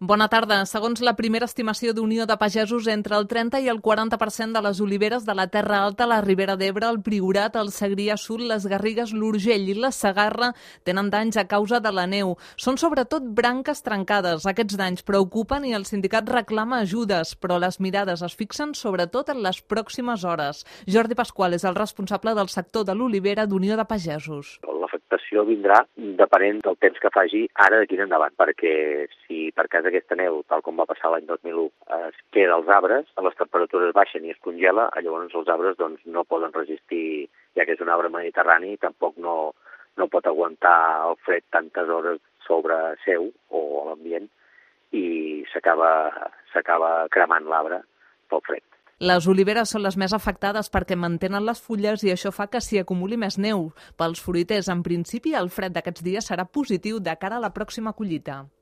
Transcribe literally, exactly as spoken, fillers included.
Bona tarda. Segons la primera estimació d'Unió de Pagesos, entre el trenta i el quaranta per cent de les oliveres de la Terra Alta, la Ribera d'Ebre, el Priorat, el Segrià Sud, les Garrigues, l'Urgell i la Segarra tenen danys a causa de la neu. Són sobretot branques trencades. Aquests danys preocupen i el sindicat reclama ajudes, però les mirades es fixen sobretot en les pròximes hores. Jordi Pasqual és el responsable del sector de l'olivera d'Unió de Pagesos. L'afectació vindrà depenent del temps que faci ara d'aquí en endavant, perquè si per cas aquesta neu, tal com va passar l'any dos mil u, es queda als arbres, les temperatures baixen i es congela, llavors els arbres doncs, no poden resistir, ja que és un arbre mediterrani, tampoc no, no pot aguantar el fred tantes hores sobre seu o a l'ambient i s'acaba s'acaba cremant l'arbre pel fred. Les oliveres són les més afectades perquè mantenen les fulles i això fa que s'hi acumuli més neu. Pels fruiters, en principi, el fred d'aquests dies serà positiu de cara a la pròxima collita.